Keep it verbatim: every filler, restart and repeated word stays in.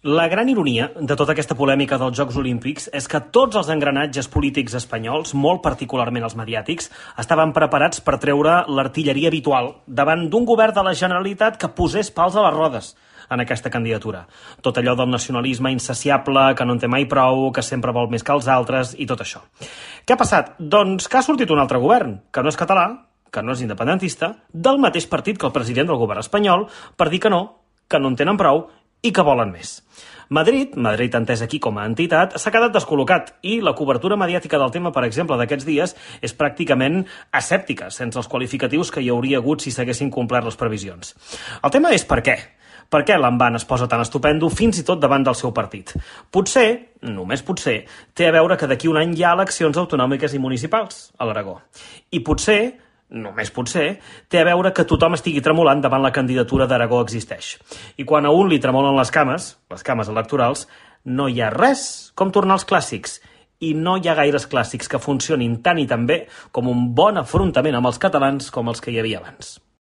La gran ironia de tota aquesta polèmica dels Jocs Olímpics és que tots els engranatges polítics espanyols, molt particularment els mediàtics, estaven preparats per treure l'artilleria habitual davant d'un govern de la Generalitat que posés pals a les rodes en aquesta candidatura. Tot allò del nacionalisme insaciable, que no en té mai prou, que sempre vol més que els altres i tot això. Què ha passat? Doncs que ha sortit un altre govern, que no és català, que no és independentista, del mateix partit que el president del govern espanyol, per dir que no, que no en tenen prou i que volen més. Madrid, Madrid entès aquí com a entitat, s'ha quedat descol·locat i la cobertura mediàtica del tema, per exemple, d'aquests dies, és pràcticament asèptica, sense els qualificatius que hi hauria hagut si s'haguessin complert les previsions. El tema és per què. Per què l'Envant es posa tan estupendo fins i tot davant del seu partit? Potser, només potser, té a veure que d'aquí un any hi ha eleccions autonòmiques i municipals a l'Aragó. I potser, només potser, té a veure que tothom estigui tremolant davant la candidatura d'Aragó existeix. I quan a un li tremolen les cames, les cames electorals, no hi ha res com tornar als clàssics. I no hi ha gaires clàssics que funcionin tan i tan bé com un bon afrontament amb els catalans com els que hi havia abans.